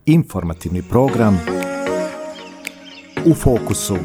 Informativni program U fokusu.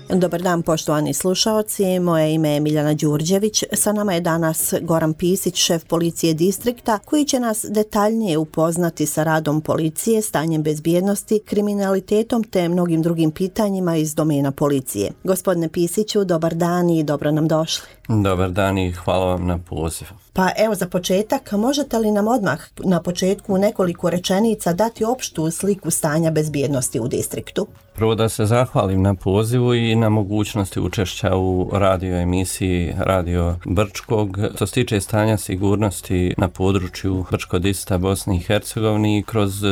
Dobar dan poštovani slušaoci, moje ime je Miljana Đurđević, sa nama je danas Goran Pisić, šef policije distrikta, koji će nas detaljnije upoznati sa radom policije, stanjem bezbjednosti, kriminalitetom te mnogim drugim pitanjima iz domena policije. Gospodine Pisiću, dobar dan i dobro nam došli. Dobar dan i hvala vam na pozivu. Pa evo za početak, možete li nam odmah na početku u nekoliko rečenica dati opštu sliku stanja bezbjednosti u distriktu? Prvo da se zahvalim na pozivu i na mogućnosti učešća u radio emisiji Radio Brčkog. Što se tiče stanja sigurnosti na području Brčko-Distrikta Bosne i Hercegovine kroz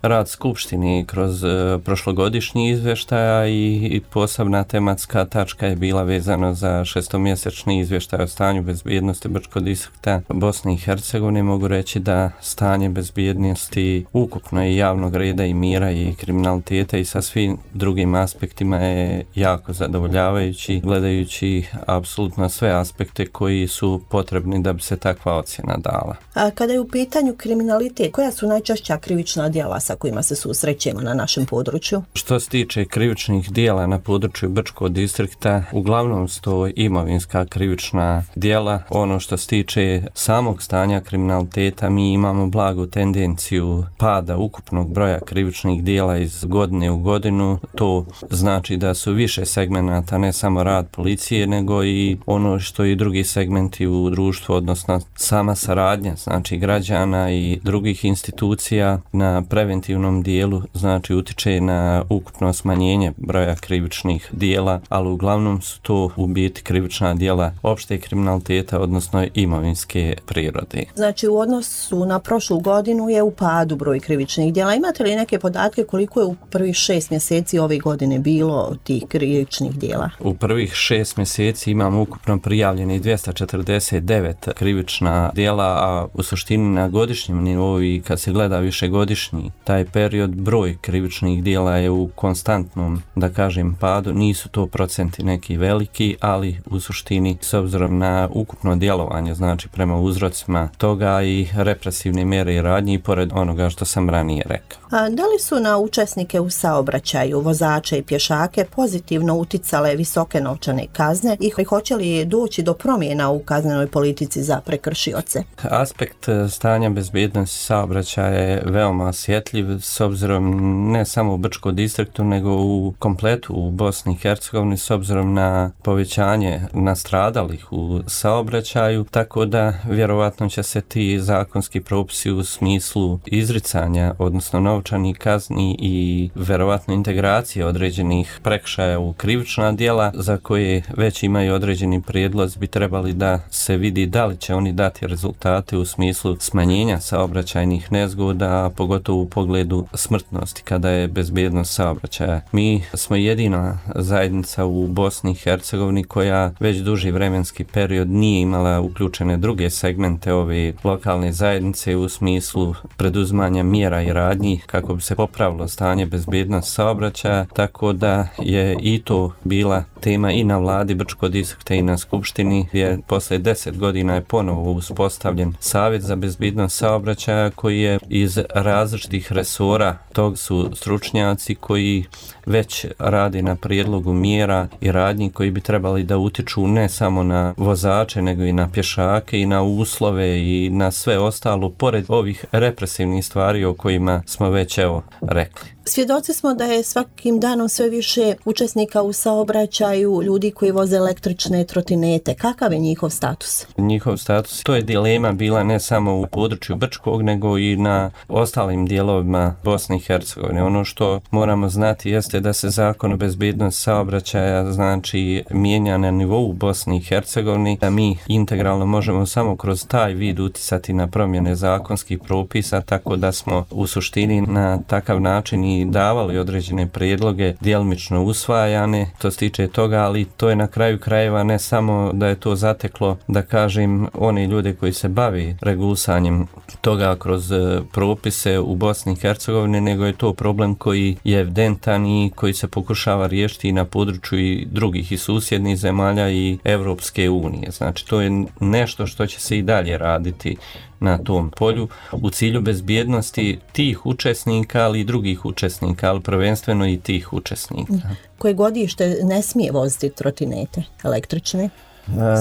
rad Skupštine i kroz prošlogodišnji izvještaja i posebna tematska tačka je bila vezana za šestomjesečni izvještaj o stanju bezbjednosti Brčko-Distrikta Bosne i Hercegovine. Mogu reći da stanje bezbjednosti ukupno i javnog reda i mira i kriminaliteta i sa svim drugim aspektima je jako zadovoljavajući, gledajući apsolutno sve aspekte koji su potrebni da bi se takva ocjena dala. A kada je u pitanju kriminalitet, koja su najčešća krivična djela sa kojima se susrećemo na našem području? Što se tiče krivičnih djela na području Brčkog distrikta, uglavnom su to imovinska krivična djela. Ono što se tiče samog stanja kriminaliteta, mi imamo blagu tendenciju pada ukupnog broja krivičnih djela iz godine u godinu. To znači da su više segmenata, ne samo rad policije, nego i ono što i drugi segmenti u društvu, odnosno sama saradnja, znači građana i drugih institucija na preventivnom dijelu, znači utiče na ukupno smanjenje broja krivičnih djela, ali uglavnom su to u biti krivična djela opšte kriminaliteta, odnosno imovinske prirode. Znači u odnosu na prošlu godinu je u padu broj krivičnih djela. Imate li neke podatke koliko je u prvih 6 mjeseci ove godine bilo tih krivičnih djela? U prvih 6 mjeseci imamo ukupno prijavljeni 249 krivična djela, a u suštini na godišnjem nivou i kad se gleda višegodišnji taj period, broj krivičnih djela je u konstantnom, da kažem, padu. Nisu to procenti neki veliki, ali u suštini s obzirom na ukupno djelovanje, znači prema uzrocima toga i represivne mjere i radnje i pored onoga što sam ranije rekao. A da li su na učesnike u saobraćaju, vozače i pješake pozitivno uticale visoke novčane kazne i hoće li doći do promjena u kaznenoj politici za prekršioce? Aspekt stanja bezbjednosti saobraćaja je veoma osjetljiv s obzirom ne samo u Brčkom distriktu nego u kompletu u Bosni i Hercegovini s obzirom na povećanje nastradalih u saobraćaju, tako da vjerovatno će se ti zakonski propisi u smislu izricanja, odnosno novčanih kazni i vjerovatno integracije određenih prekršaja u krivična djela za koje već imaju određeni prijedlozi bi trebali da se vidi da li će oni dati rezultate u smislu smanjenja saobraćajnih nezgoda, a pogotovo u pogledu smrtnosti kada je bezbjednost saobraćaja. Mi smo jedina zajednica u Bosni i Hercegovini koja već duži vremenski period nije imala uključene druge segmente ove lokalne zajednice u smislu preduzimanja mjera i radnji kako bi se popravilo stanje bezbjednosti saobraćaja, tako da je i to bila tema i na vladi Brčkog distrikta i na skupštini, gdje posle 10 godina je ponovo uspostavljen Savjet za bezbjednost saobraćaja koji je iz različitih resora, tog su stručnjaci koji već radi na prijedlogu mjera i radnji koji bi trebali da utiču ne samo na vozače nego i na pješake i na uslove i na sve ostalo pored ovih represivnih stvari o kojima smo već rekli. Svjedoci smo da je svakim danom sve više učesnika u saobraćaju, ljudi koji voze električne trotinete. Kakav je njihov status? Njihov status, to je dilema bila ne samo u području Brčkog, nego i na ostalim dijelovima Bosne i Hercegovine. Ono što moramo znati jeste da se zakon o bezbjednosti saobraćaja znači mijenja na nivou Bosne i Hercegovine, da mi integralno možemo samo kroz taj vid uticati na promjene zakonskih propisa, tako da smo u suštini na takav način mi davali određene prijedloge, djelomično usvajane, to se tiče toga, ali to je na kraju krajeva ne samo da je to zateklo, da kažem, oni ljude koji se bavi regulisanjem toga kroz propise u Bosni i Hercegovini, nego je to problem koji je evidentan i koji se pokušava riješiti i na području i drugih i susjednih zemalja i Evropske unije. Znači, to je nešto što će se i dalje raditi na tom polju u cilju bezbjednosti tih učesnika, ali i drugih učesnika, ali prvenstveno i tih učesnika. Koje godište ne smije voziti trotinete električne?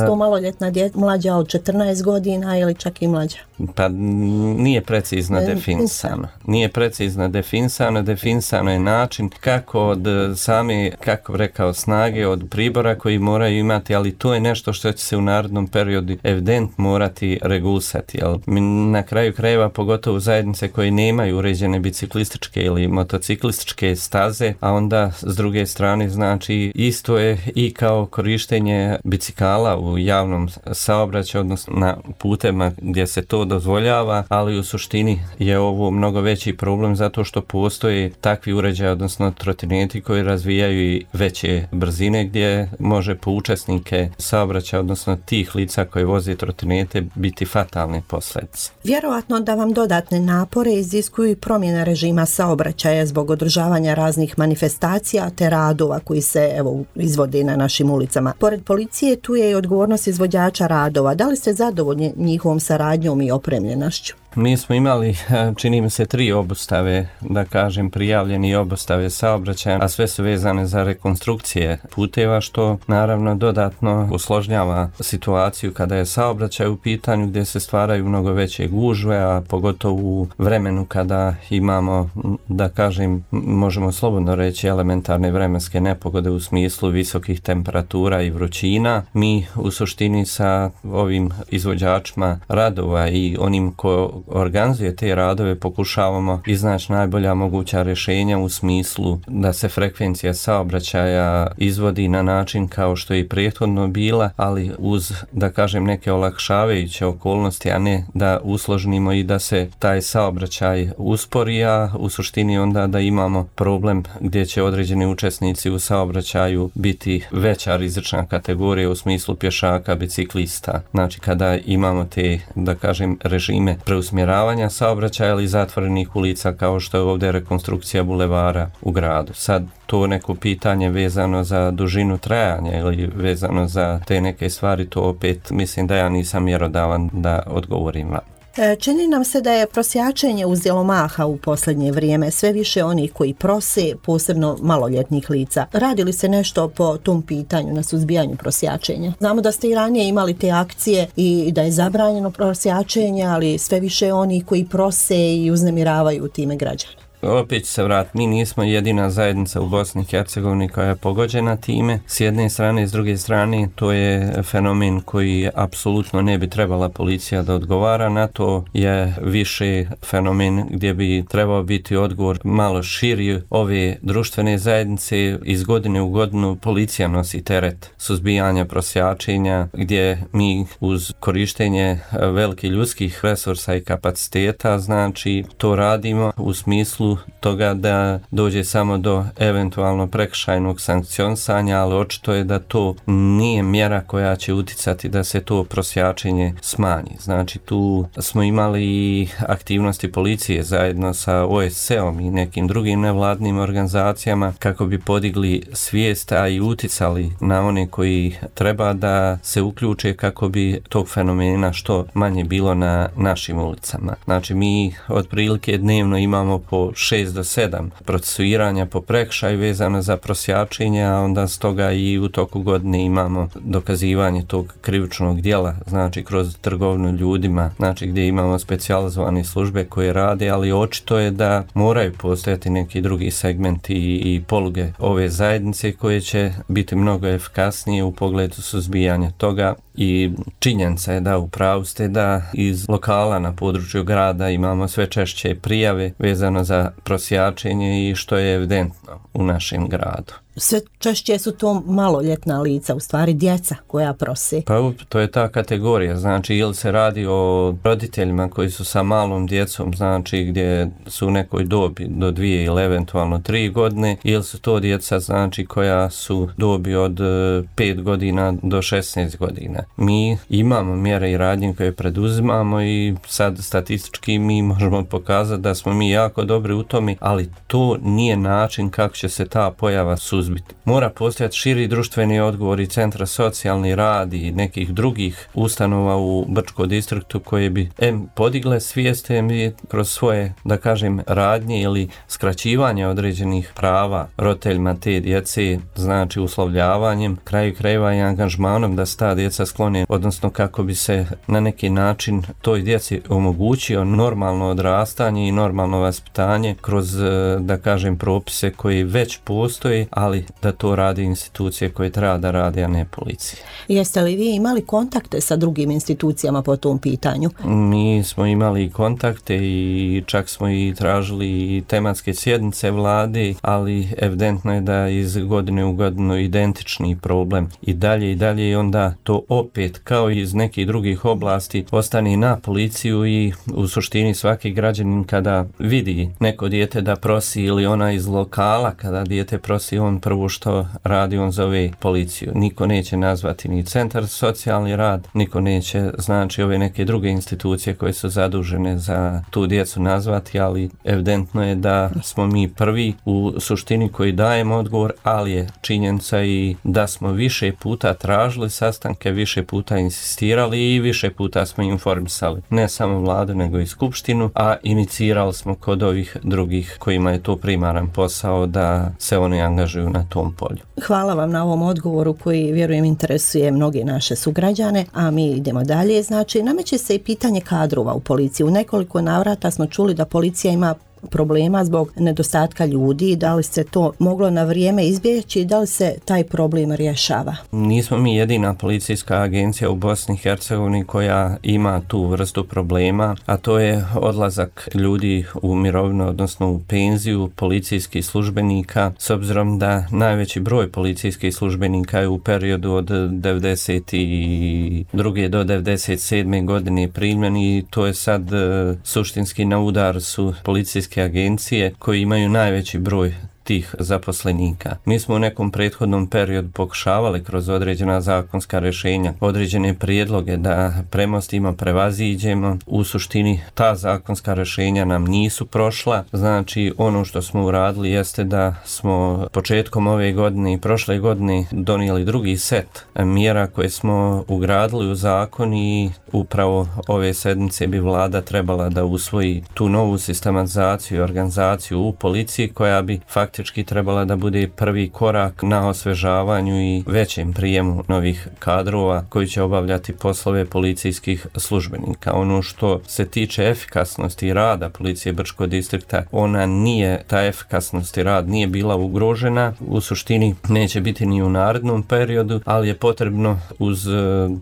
Sto maloljetna mlađa od 14 godina ili čak i mlađa? Pa nije precizno definisano. Nije precizno definisano. Definisano je način kako od same, kako rekao, snage od pribora koji moraju imati, ali to je nešto što će se u narednom periodu evident morati regulisati. Na kraju krajeva, pogotovo zajednice koje nemaju uređene biciklističke ili motociklističke staze, a onda s druge strane, znači, isto je i kao korištenje bicikala u javnom saobraćaju, odnosno na putevima gdje se to dozvoljava, ali u suštini je ovo mnogo veći problem zato što postoje takvi uređaji, odnosno trotineti koji razvijaju i veće brzine gdje može po učesnike saobraćaja, odnosno tih lica koji voze trotinete, biti fatalne posljedice. Vjerovatno da vam dodatne napore iziskuju promjena režima saobraćaja zbog održavanja raznih manifestacija te radova koji se izvode na našim ulicama. Pored policije, tu je i odgovornost izvođača radova. Da li ste zadovoljni njihovom saradnjom i opremljenošću? Mi smo imali, čini mi se, 3 obustave, da kažem, prijavljeni obustave saobraćaja, a sve su vezane za rekonstrukcije puteva, što naravno dodatno usložnjava situaciju kada je saobraćaj u pitanju, gdje se stvaraju mnogo veće gužve, a pogotovo u vremenu kada imamo, da kažem, možemo slobodno reći, elementarne vremenske nepogode u smislu visokih temperatura i vrućina. Mi u suštini sa ovim izvođačima radova i onim ko organizuje te radove pokušavamo iznaći najbolja moguća rješenja u smislu da se frekvencija saobraćaja izvodi na način kao što je i prethodno bila, ali uz, da kažem, neke olakšavajuće okolnosti, a ne da usložnimo i da se taj saobraćaj uspori, a u suštini onda da imamo problem gdje će određeni učesnici u saobraćaju biti veća rizična kategorija u smislu pješaka, biciklista. Znači, kada imamo te, da kažem, režime preusmjeravanja saobraćaja ili zatvorenih ulica kao što je ovdje rekonstrukcija bulevara u gradu. Sad to neko pitanje vezano za dužinu trajanja ili vezano za te neke stvari, to opet mislim da ja nisam mjerodavan da odgovorim vam. Čini nam se da je prosjačenje uzelo maha u posljednje vrijeme, sve više onih koji prose, posebno maloljetnih lica. Radi li se nešto po tom pitanju na suzbijanju prosjačenja? Znamo da ste i ranije imali te akcije i da je zabranjeno prosjačenje, ali sve više onih koji prose i uznemiravaju time građane. Opet se vrat, mi nismo jedina zajednica u Bosni i Hercegovini koja je pogođena time. S jedne strane i s druge strane to je fenomen koji apsolutno ne bi trebala policija da odgovara na to, je više fenomen gdje bi trebao biti odgovor malo širi ove društvene zajednice. Iz godine u godinu policija nosi teret suzbijanja prosjačenja, gdje mi uz korištenje velikih ljudskih resursa i kapaciteta, znači to radimo u smislu toga da dođe samo do eventualno prekršajnog sankcionisanja, ali očito je da to nije mjera koja će uticati da se to prosjačenje smanji. Znači tu smo imali aktivnosti policije zajedno sa OSCE-om i nekim drugim nevladnim organizacijama kako bi podigli svijest, a i uticali na one koji treba da se uključe kako bi tog fenomena što manje bilo na našim ulicama. Znači mi otprilike dnevno imamo po 6 do 7 procesuiranja po prekršaju vezano za prosjačenje, a onda stoga i u toku godine imamo dokazivanje tog krivičnog djela, znači kroz trgovinu ljudima, znači gdje imamo specijalizovane službe koje rade, ali očito je da moraju postojati neki drugi segmenti i poluge ove zajednice koje će biti mnogo efikasnije u pogledu suzbijanja toga. I činjenica je da upravo ste da iz lokala na području grada imamo sve češće prijave vezano za prosjačenje i što je evidentno u našem gradu. sve češće su to maloljetna lica, u stvari djeca koja prose. Pa to je ta kategorija, znači ili se radi o roditeljima koji su sa malom djecom, znači gdje su u nekoj dobi do 2 ili eventualno 3 godine, ili su to djeca znači koja su dobi od 5 godina do 16 godina. Mi imamo mjere i radnje koje preduzimamo i sad statistički mi možemo pokazati da smo mi jako dobri u tome, ali to nije način kako će se ta pojava suzbiti. Mora postojati širi društveni odgovor i centra socijalni rad i nekih drugih ustanova u Brčkom distriktu koje bi podigle svijest i kroz svoje, da kažem, radnje ili skraćivanje određenih prava roditeljima te djece, znači uslovljavanjem, kraju krajeva i angažmanom da se ta djeca sklone, odnosno kako bi se na neki način toj djeci omogućio normalno odrastanje i normalno vaspitanje kroz, da kažem, propise koji već postoji, ali da to radi institucije koje treba da radi, a ne policija. Jeste li vi imali kontakte sa drugim institucijama po tom pitanju? Mi smo imali kontakte i čak smo i tražili tematske sjednice vlade, ali evidentno je da iz godine u godinu identični problem i dalje i onda to opet kao i iz nekih drugih oblasti ostane na policiju i u suštini svaki građanin kada vidi neko dijete da prosi ili ona iz lokala kada dijete prosi, on prvo što radi, on zove policiju. Niko neće nazvati ni centar socijalni rad, niko neće znači ove neke druge institucije koje su zadužene za tu djecu nazvati, ali evidentno je da smo mi prvi u suštini koji dajemo odgovor, ali je činjenica i da smo više puta tražili sastanke, više puta insistirali i više puta smo informisali ne samo vladu nego i skupštinu, a inicirali smo kod ovih drugih kojima je to primaran posao da se oni angažuju na tom polju. Hvala vam na ovom odgovoru koji, vjerujem, interesuje mnoge naše sugrađane, a mi idemo dalje. Znači, nameće se i pitanje kadrova u policiji. U nekoliko navrata smo čuli da policija ima problema zbog nedostatka ljudi, da li se to moglo na vrijeme izbjeći i da li se taj problem rješava? Nismo mi jedina policijska agencija u Bosni i Hercegovini koja ima tu vrstu problema, a to je odlazak ljudi u mirovinu, odnosno u penziju policijskih službenika, s obzirom da najveći broj policijskih službenika je u periodu od 92. do 97. godine primljen i to je sad suštinski na udar su policijske agencije koji imaju najveći broj tih zaposlenika. Mi smo u nekom prethodnom periodu pokušavali kroz određena zakonska rješenja, određene prijedloge da premostimo, prevaziđemo. U suštini ta zakonska rješenja nam nisu prošla. Znači ono što smo uradili jeste da smo početkom ove godine i prošle godine donijeli drugi set mjera koje smo ugradili u zakon i upravo ove sedmice bi vlada trebala da usvoji tu novu sistematizaciju i organizaciju u policiji koja bi faktički trebala da bude prvi korak na osvežavanju i većem prijemu novih kadrova koji će obavljati poslove policijskih službenika. Ono što se tiče efikasnosti rada policije Brčkog distrikta, ta efikasnost i rad nije bila ugrožena, u suštini neće biti ni u narednom periodu, ali je potrebno uz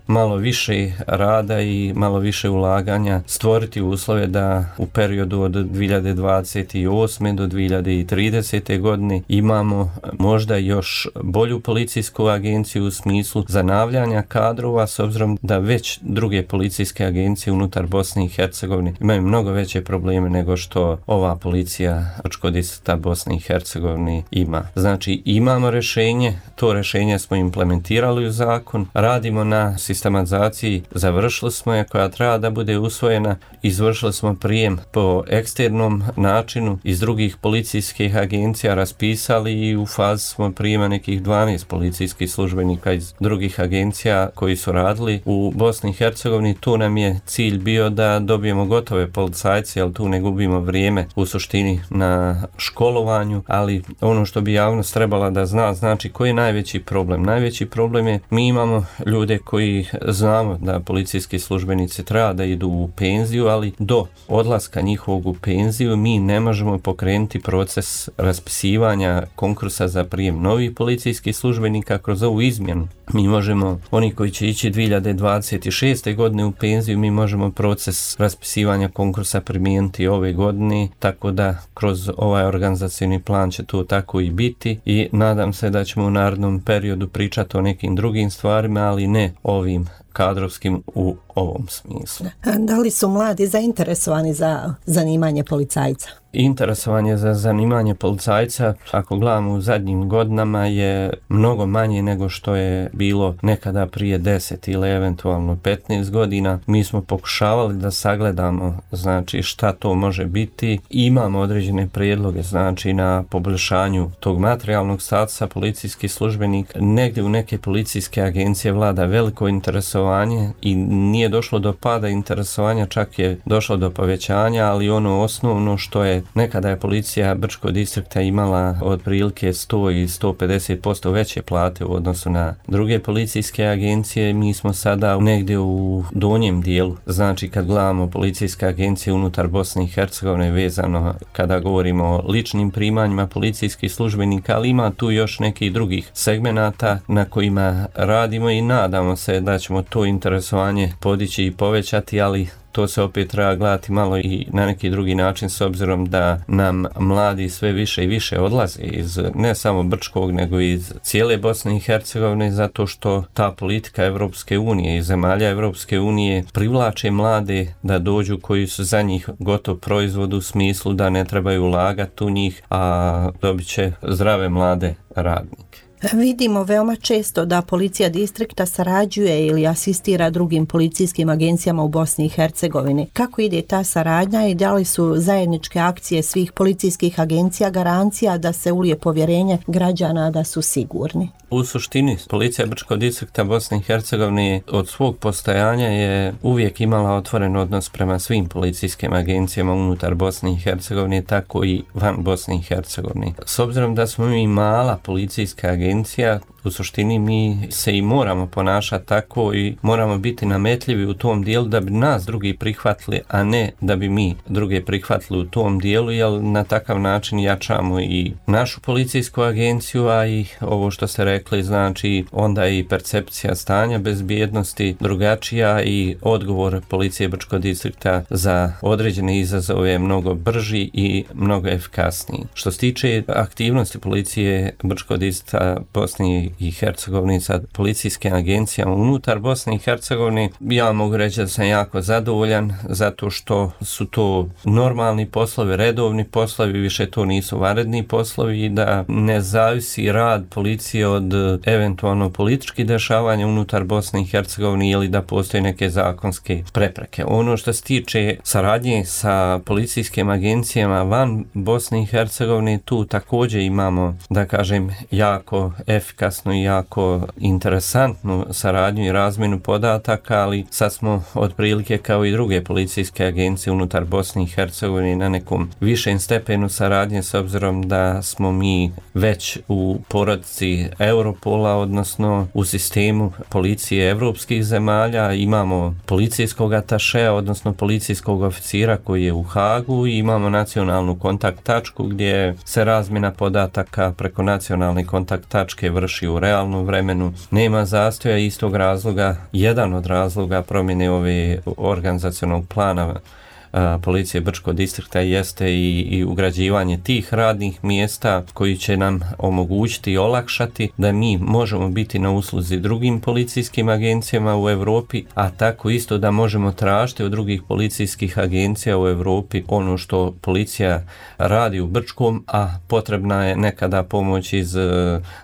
malo više rada i malo više ulaganja stvoriti uslove da u periodu od 2028. do 2030. godine imamo možda još bolju policijsku agenciju u smislu zanavljanja kadrova, s obzirom da već druge policijske agencije unutar Bosne i Hercegovine imaju mnogo veće probleme nego što ova policija Brčkog distrikta Bosne i Hercegovine ima. Znači imamo rješenje, to rješenje smo implementirali u zakon, radimo na sistematizaciji, završili smo je koja treba da bude usvojena, izvršili smo prijem po eksternom načinu iz drugih policijskih agencija, raspisali i u fazi smo prijema nekih 12 policijskih službenika iz drugih agencija koji su radili u Bosni i Hercegovini. Tu nam je cilj bio da dobijemo gotove policajce, jer tu ne gubimo vrijeme u suštini na školovanju, ali ono što bi javnost trebala da zna, znači koji je najveći problem? Najveći problem je mi imamo ljude koji znamo da policijski službenici treba da idu u penziju, ali do odlaska njihovog u penziju mi ne možemo pokrenuti proces raspisivanja konkursa za prijem novih policijskih službenika kroz ovu izmjenu mi možemo, oni koji će ići 2026. godine u penziju, mi možemo proces raspisivanja konkursa primijeniti ove godine, tako da kroz ovaj organizacijni plan će to tako i biti i nadam se da ćemo u narednom periodu pričati o nekim drugim stvarima, ali ne ovim kadrovskim u ovom smislu. Da li su mladi zainteresovani za zanimanje policajca? Interesovanje za zanimanje policajca, ako gledamo u zadnjim godinama, je mnogo manje nego što je bilo nekada prije 10 ili eventualno 15 godina. Mi smo pokušavali da sagledamo, znači, šta to može biti. Imamo određene prijedloge, znači, na poboljšanju tog materijalnog statusa policijskih službenika. Negdje u neke policijske agencije vlada veliko interesovanje i nije došlo do pada interesovanja, čak je došlo do povećanja, ali ono osnovno što je nekada je policija Brčkog distrikta imala otprilike 100 i 150% veće plate u odnosu na druge policijske agencije. Mi smo sada negdje u donjem dijelu. Znači, kad gledamo policijske agencije unutar Bosne i Hercegovine vezano kada govorimo o ličnim primanjima policijskih službenika, ali ima tu još nekih drugih segmenata na kojima radimo i nadamo se da ćemo to interesovanje podići i povećati, ali to se opet treba gledati malo i na neki drugi način, s obzirom da nam mladi sve više i više odlaze iz ne samo Brčkog, nego iz cijele Bosne i Hercegovine, zato što ta politika Evropske unije i zemalja Evropske unije privlače mlade da dođu koji su za njih gotov proizvod u smislu da ne trebaju ulagati u njih, a dobit će zdrave mlade radnike. Vidimo veoma često da policija distrikta sarađuje ili asistira drugim policijskim agencijama u Bosni i Hercegovini. Kako ide ta saradnja i da li su zajedničke akcije svih policijskih agencija garancija da se ulije povjerenje građana da su sigurni? U suštini, policija Brčkog distrikta Bosne i Hercegovine od svog postojanja je uvijek imala otvoren odnos prema svim policijskim agencijama unutar Bosne i Hercegovine, tako i van Bosne i Hercegovine. S obzirom da smo mi mala policijska agencija, u suštini mi se i moramo ponašati tako i moramo biti nametljivi u tom dijelu da bi nas drugi prihvatili, a ne da bi mi druge prihvatili u tom dijelu, jer na takav način jačamo i našu policijsku agenciju, a i ovo što ste rekli, znači onda je i percepcija stanja bezbjednosti drugačija i odgovor policije Brčkog distrikta za određene izazove je mnogo brži i mnogo efikasniji. Što se tiče aktivnosti policije Brčkog distrikta Bosne i Hercegovine sa policijskim agencijama unutar Bosne i Hercegovine, ja mogu reći da sam jako zadovoljan zato što su to normalni poslovi, redovni poslovi, više to nisu vanredni poslovi i da ne zavisi rad policije od eventualno političkih dešavanja unutar Bosne i Hercegovine ili da postoje neke zakonske prepreke. Ono što se tiče saradnje sa policijskim agencijama van Bosne i Hercegovine, tu također imamo, da kažem, jako efikasnu i jako interesantnu saradnju i razmjenu podataka, ali sad smo otprilike kao i druge policijske agencije unutar Bosne i Hercegovine na nekom višem stepenu saradnje, s obzirom da smo mi već u porodici Europola, odnosno u sistemu policije evropskih zemalja. Imamo policijskog atašea, odnosno policijskog oficira koji je u Hagu i imamo nacionalnu kontakt tačku gdje se razmjena podataka preko nacionalne kontakt tačke vrši u realnom vremenu. Nema zastoja, istog razloga, jedan od razloga promjene ove organizacionog plana policije Brčkog distrikta jeste i ugrađivanje tih radnih mjesta koji će nam omogućiti i olakšati da mi možemo biti na usluzi drugim policijskim agencijama u Europi, a tako isto da možemo tražiti od drugih policijskih agencija u Europi ono što policija radi u Brčkom, a potrebna je nekada pomoć iz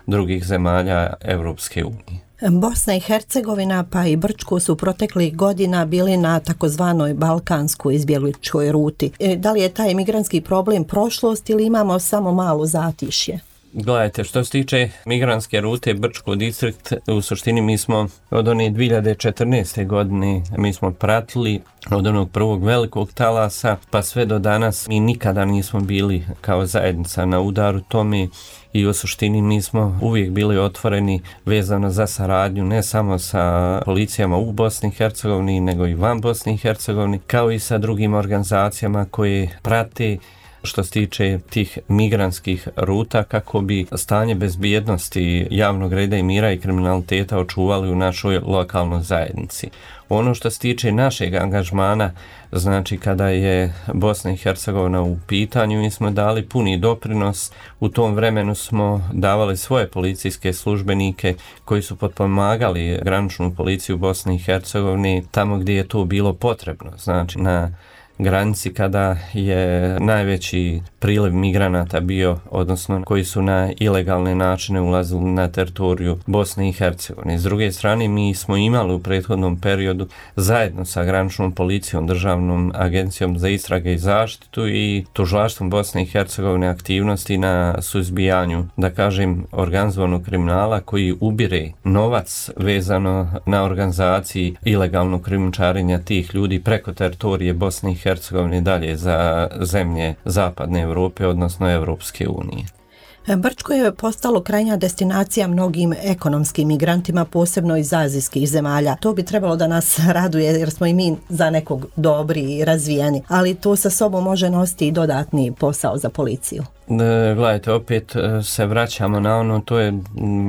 drugih zemalja Europske unije. Bosna i Hercegovina pa i Brčko su proteklih godina bili na takozvanoj balkanskoj izbjegličkoj ruti. Da li je taj migrantski problem prošlost ili imamo samo malo zatišje? Gledajte, što se tiče migrantske rute Brčkog distrikt, u suštini mi smo od one 2014. godine mi smo pratili od onog prvog velikog talasa pa sve do danas. Mi nikada nismo bili kao zajednica na udaru tome i u suštini mi smo uvijek bili otvoreni vezano za saradnju ne samo sa policijama u Bosni i Hercegovini nego i van Bosni i Hercegovini, kao i sa drugim organizacijama koje prate što se tiče tih migrantskih ruta kako bi stanje bezbjednosti, javnog reda i mira i kriminaliteta očuvali u našoj lokalnoj zajednici. Ono što se tiče našeg angažmana, znači kada je Bosna i Hercegovina u pitanju, mi smo dali puni doprinos. U tom vremenu smo davali svoje policijske službenike koji su potpomagali graničnu policiju Bosne i Hercegovine tamo gdje je to bilo potrebno. Znači na granici kada je najveći priliv migranata bio, odnosno koji su na ilegalne načine ulazili na teritoriju Bosne i Hercegovine. S druge strane, mi smo imali u prethodnom periodu zajedno sa graničnom policijom, Državnom agencijom za istrage i zaštitu i tužilaštvom Bosne i Hercegovine aktivnosti na suzbijanju, da kažem, organizovanog kriminala koji ubire novac vezano na organizaciji ilegalnog krijumčarenja tih ljudi preko teritorije Bosne i Hercegovine dalje za zemlje zapadne Europe, odnosno Europske unije. Brčko je postalo krajnja destinacija mnogim ekonomskim migrantima, posebno iz azijskih zemalja. To bi trebalo da nas raduje jer smo i mi za nekog dobri i razvijeni, ali to sa sobom može nositi i dodatni posao za policiju. Gledajte, opet se vraćamo na ono, to je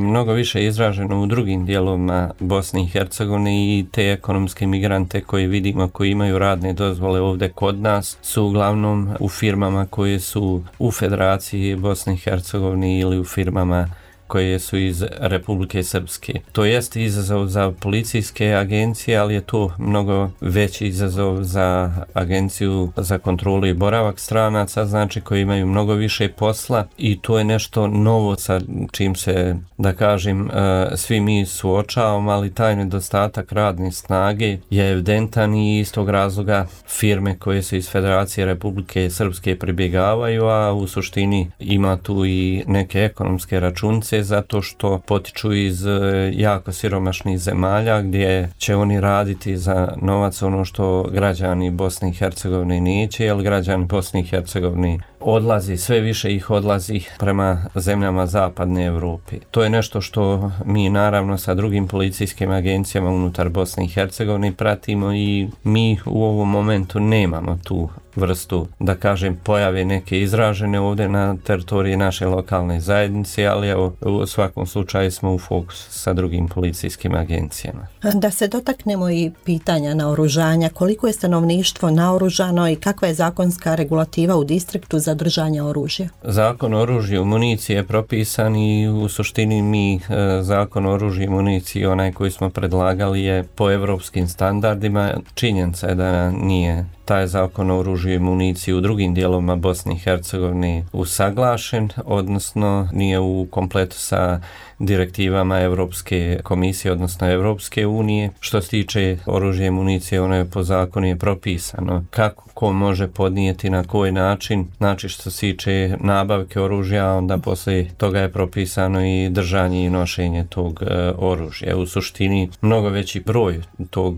mnogo više izraženo u drugim dijelovima Bosne i Hercegovine i te ekonomske migrante koje vidimo, koji imaju radne dozvole ovdje kod nas, su uglavnom u firmama koje su u Federaciji Bosne i Hercegovine ili u firmama koje su iz Republike Srpske. To jest izazov za policijske agencije, ali je to mnogo veći izazov za agenciju za kontrolu i boravak stranaca, znači koji imaju mnogo više posla i to je nešto novo sa čim se, da kažem, svi mi suočavamo, ali taj nedostatak radne snage je evidentan i iz tog razloga firme koje su iz Federacije Republike Srpske pribjegavaju, a u suštini ima tu i neke ekonomske računice zato što potiču iz jako siromašnih zemalja gdje će oni raditi za novac ono što građani Bosne i Hercegovine neće, jer građani Bosne i Hercegovine odlazi, sve više ih odlazi prema zemljama zapadne Europe. To je nešto što mi naravno sa drugim policijskim agencijama unutar Bosne i Hercegovine pratimo i mi u ovom momentu nemamo tu vrstu, da kažem, pojave neke izražene ovdje na teritoriji naše lokalne zajednice, ali evo, u svakom slučaju smo u fokusu sa drugim policijskim agencijama. Da se dotaknemo i pitanja naoružanja, koliko je stanovništvo naoružano i kakva je zakonska regulativa u distriktu za držanje oružja? Zakon o oružju i municiji je propisan i u suštini mi zakon o oružju i municiji, onaj koji smo predlagali, je po evropskim standardima. Činjenica je da nije taj zakon o oružju i municiji u drugim dijelovima Bosne i Hercegovine usaglašen, odnosno nije u kompletu sa direktivama Europske komisije, odnosno Europske unije. Što se tiče oružja i municije, ono je po zakonu je propisano kako ko može podnijeti, na koji način, znači što se tiče nabavke oružja, onda poslije toga je propisano i držanje i nošenje tog oružja. U suštini mnogo veći broj tog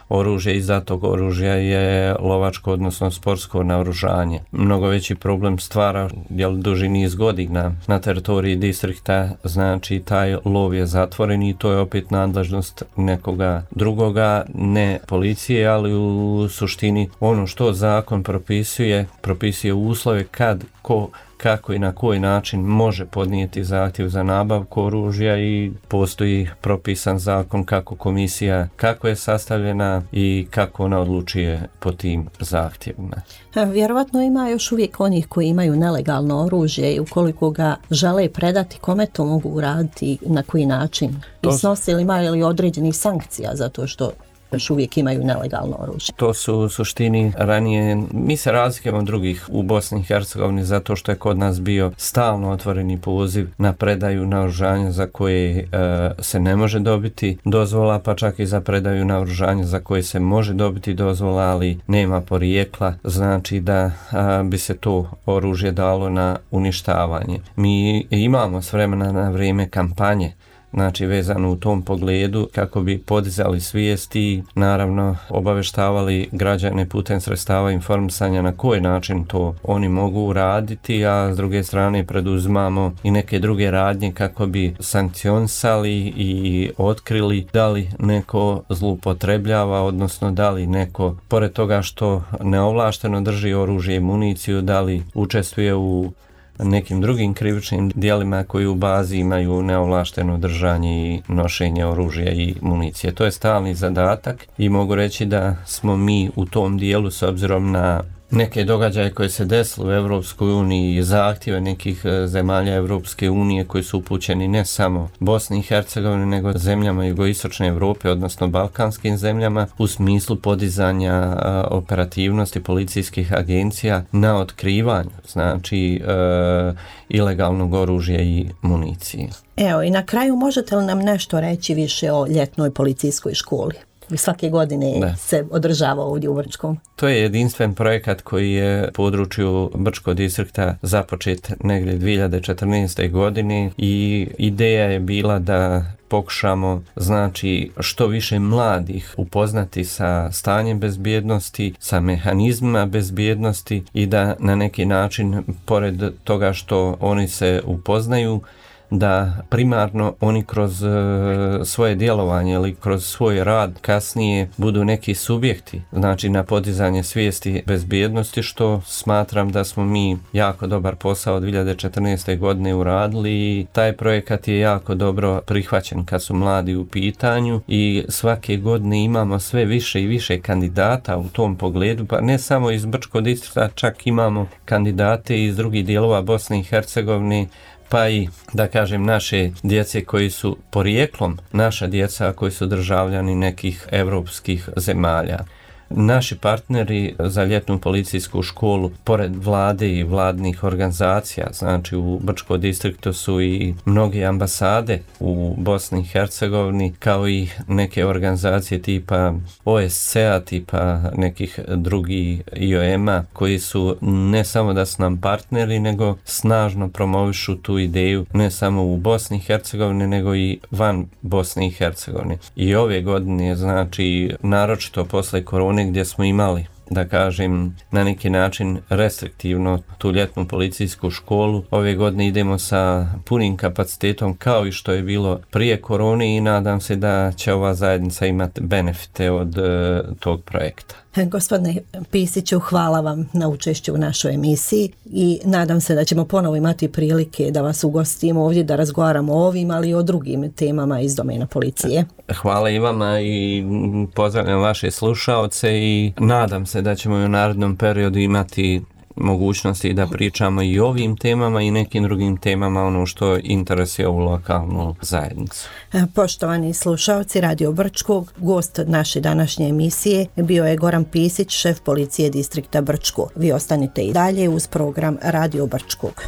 oružje, izdatog oružja je lovačko, odnosno sportsko naoružanje. Mnogo veći problem stvara duži niz godina na teritoriji distrikta, znači taj lov je zatvoren i to je opet nadležnost nekoga drugoga, ne policije, ali u suštini ono što zakon propisuje uslove kad, kako i na koji način može podnijeti zahtjev za nabavku oružja i postoji propisan zakon kako komisija, kako je sastavljena i kako ona odlučuje po tim zahtjevima. Vjerovatno ima još uvijek onih koji imaju nelegalno oružje i ukoliko ga žele predati, kome to mogu uraditi, na koji način? I snosi li imaju li određenih sankcija zato što još uvijek imaju nelegalno oružje? To su u suštini ranije, mi se razlikujemo od drugih u Bosni i Hercegovini zato što je kod nas bio stalno otvoreni poziv na predaju naoružanja za koje se ne može dobiti dozvola, pa čak i za predaju naoružanja za koje se može dobiti dozvola, ali nema porijekla, znači da bi se to oružje dalo na uništavanje. Mi imamo s vremena na vrijeme kampanje znači vezano u tom pogledu kako bi podizali svijest i naravno obaveštavali građane putem sredstava informisanja na koji način to oni mogu uraditi, a s druge strane preduzimamo i neke druge radnje kako bi sankcionisali i otkrili da li neko zloupotrebljava, odnosno da li neko, pored toga što neovlašteno drži oružje i municiju, da li učestvuje u nekim drugim krivičnim djelima koji u bazi imaju neovlašteno držanje i nošenje oružja i municije. To je stalni zadatak i mogu reći da smo mi u tom dijelu, s obzirom na neke događaje koje se desile u Europskoj uniji i zahtjeve nekih zemalja Europske unije koji su upućeni ne samo Bosni i Hercegovini nego zemljama jugoistočne Europe, odnosno balkanskim zemljama, u smislu podizanja operativnosti policijskih agencija na otkrivanju, znači ilegalnog oružja i municije. Evo, i na kraju možete li nam nešto reći više o ljetnoj policijskoj školi? Svake godine se održava ovdje u Brčkom. To je jedinstven projekat koji je u području Brčkog distrikta započet negdje 2014. godine i ideja je bila da pokušamo, znači, što više mladih upoznati sa stanjem bezbjednosti, sa mehanizmima bezbjednosti i da na neki način, pored toga što oni se upoznaju, da primarno oni kroz svoje djelovanje ili kroz svoj rad kasnije budu neki subjekti, znači na podizanje svijesti bezbjednosti, što smatram da smo mi jako dobar posao 2014. godine uradili i taj projekat je jako dobro prihvaćen kad su mladi u pitanju i svake godine imamo sve više i više kandidata u tom pogledu, pa ne samo iz Brčkog distrikta, čak imamo kandidate iz drugih dijelova Bosne i Hercegovine, pa i, da kažem, naše djece koji su porijeklom, naša djeca koji su državljani nekih europskih zemalja. Naši partneri za ljetnu policijsku školu, pored vlade i vladnih organizacija, znači u Brčkom distriktu su i mnoge ambasade u Bosni i Hercegovini, kao i neke organizacije tipa OSCE-a, tipa nekih drugih IOM-a, koji su ne samo da su nam partneri, nego snažno promovišu tu ideju ne samo u Bosni i Hercegovini, nego i van Bosne i Hercegovine. I ove godine, znači, naročito posle korone, gdje smo imali, da kažem, na neki način restriktivno tu ljetnu policijsku školu, ove godine idemo sa punim kapacitetom kao i što je bilo prije korone i nadam se da će ova zajednica imati benefite od tog projekta. Gospodine Pisiću, hvala vam na učešću u našoj emisiji i nadam se da ćemo ponovo imati prilike da vas ugostimo ovdje, da razgovaramo o ovim, ali i o drugim temama iz domena policije. Hvala i vama i pozdravljam vaše slušaoce i nadam se da ćemo i u narednom periodu imati mogućnosti da pričamo i o ovim temama i nekim drugim temama, ono što interesuje ovu lokalnu zajednicu. Poštovani slušalci Radio Brčkog, gost naše današnje emisije bio je Goran Pisić, šef policije distrikta Brčko. Vi ostanite i dalje uz program Radio Brčkog.